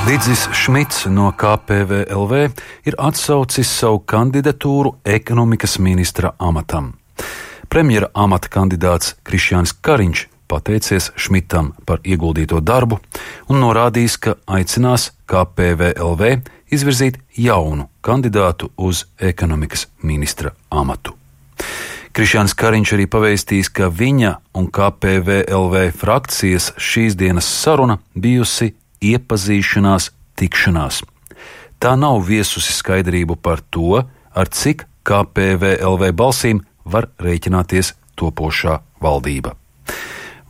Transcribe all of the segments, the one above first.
Didzis Šmits no KPVLV ir atsaucis savu kandidatūru ekonomikas ministra amatam. Premjera amata kandidāts Krišjānis Kariņš pateicies Šmitam par ieguldīto darbu un norādījis, ka aicinās KPVLV izvirzīt jaunu kandidātu uz ekonomikas ministra amatu. Krišjānis Kariņš arī pavēstījis, ka viņa un KPVLV frakcijas šīs dienas saruna bijusi iepazīšanās tikšanās. Tā nav viesusi skaidrību par to, ar cik KPVLV balsīm var rēķināties topošā valdība.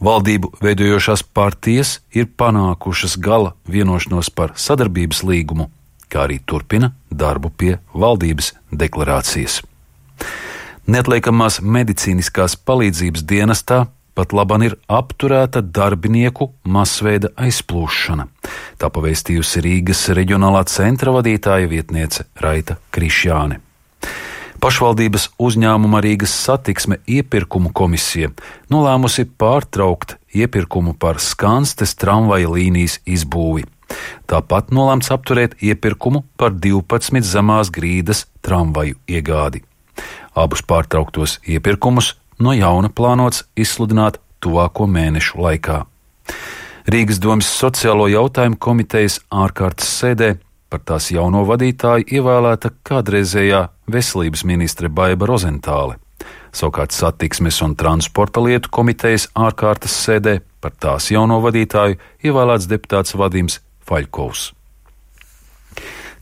Valdību veidojošās partijas ir panākušas gala vienošanos par sadarbības līgumu, kā arī turpina darbu pie valdības deklarācijas. Neatliekamās medicīniskās palīdzības dienestā pat laban ir apturēta darbinieku masveida aizplūšana. Tā pavēstījusi Rīgas reģionālā centra vadītāja vietniece Raita Krišjāne. Pašvaldības uzņēmuma Rīgas satiksme iepirkumu komisija nolēmusi pārtraukt iepirkumu par Skanstes tramvaja līnijas izbūvi. Tāpat nolēmts apturēt iepirkumu par 12 zemās grīdas tramvaju iegādi. Abus pārtrauktos iepirkumus no jauna plānots izsludināt tuvāko mēnešu laikā. Rīgas domes sociālo jautājumu komitejas ārkārtas sēdē par tās jauno vadītāju ievēlēta kādreizējā veselības ministre Baiba Rozentāle. Savukārt satiksmes un transporta lietu komitejas ārkārtas sēdē par tās jauno vadītāju ievēlēts deputāts Vadims Faļkovs.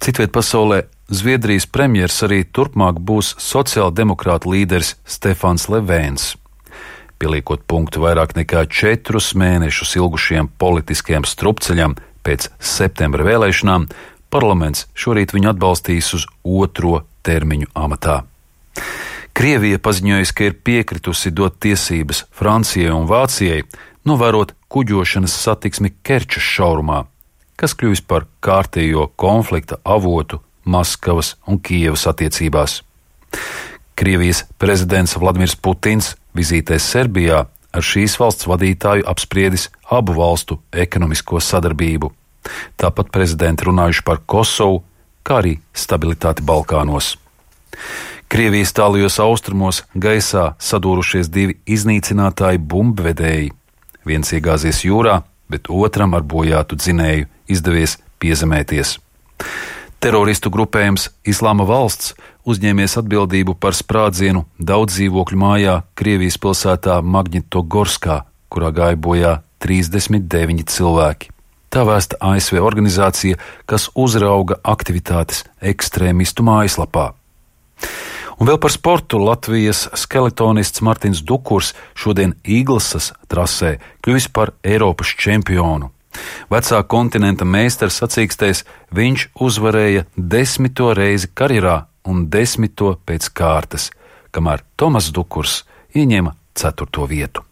Citviet pasaulē Zviedrijas premjers arī turpmāk būs sociāldemokrātu līderis Stefans Levēns. Pieliekot punktu vairāk nekā 4 mēnešus ilgušiem politiskiem strupceļam pēc septembra vēlēšanām, parlaments šorīt viņu atbalstīs uz 2. termiņu amatā. Krievija paziņojusi, ka ir piekritusi dot tiesības Francijai un Vācijai novērot kuģošanas satiksmi Kerčas šaurumā, kas kļuvis par kārtējo konflikta avotu Maskavas un Kijevas attiecībās. Krievijas prezidents Vladimirs Putins vizītē Serbijā ar šīs valsts vadītāju apspriedis abu valstu ekonomisko sadarbību. Tāpat prezidenti runājuši par Kosovu, kā arī stabilitāti Balkānos. Krievijas tālajos austrumos gaisā sadūrušies 2 iznīcinātāji bumbvedēji. Viens iegāzies jūrā, bet otram ar bojātu dzinēju izdevies piezemēties. Teroristu grupējums Islāma valsts uzņēmies atbildību par sprādzienu daudz dzīvokļu mājā Krievijas pilsētā Magnitogorskā, kurā gāja bojā 39 cilvēki. Tā vēsta ASV organizācija, kas uzrauga aktivitātes ekstrēmistu mājaslapā. Un vēl par sportu Latvijas skeletonists Martins Dukurs šodien Īglesas trasē kļuvis par Eiropas čempionu. Vecā kontinenta meistars sacīkstēs, viņš uzvarēja 10. reizi karjerā un 10. pēc kārtas, kamēr Tomas Dukurs ieņēma 4. vietu.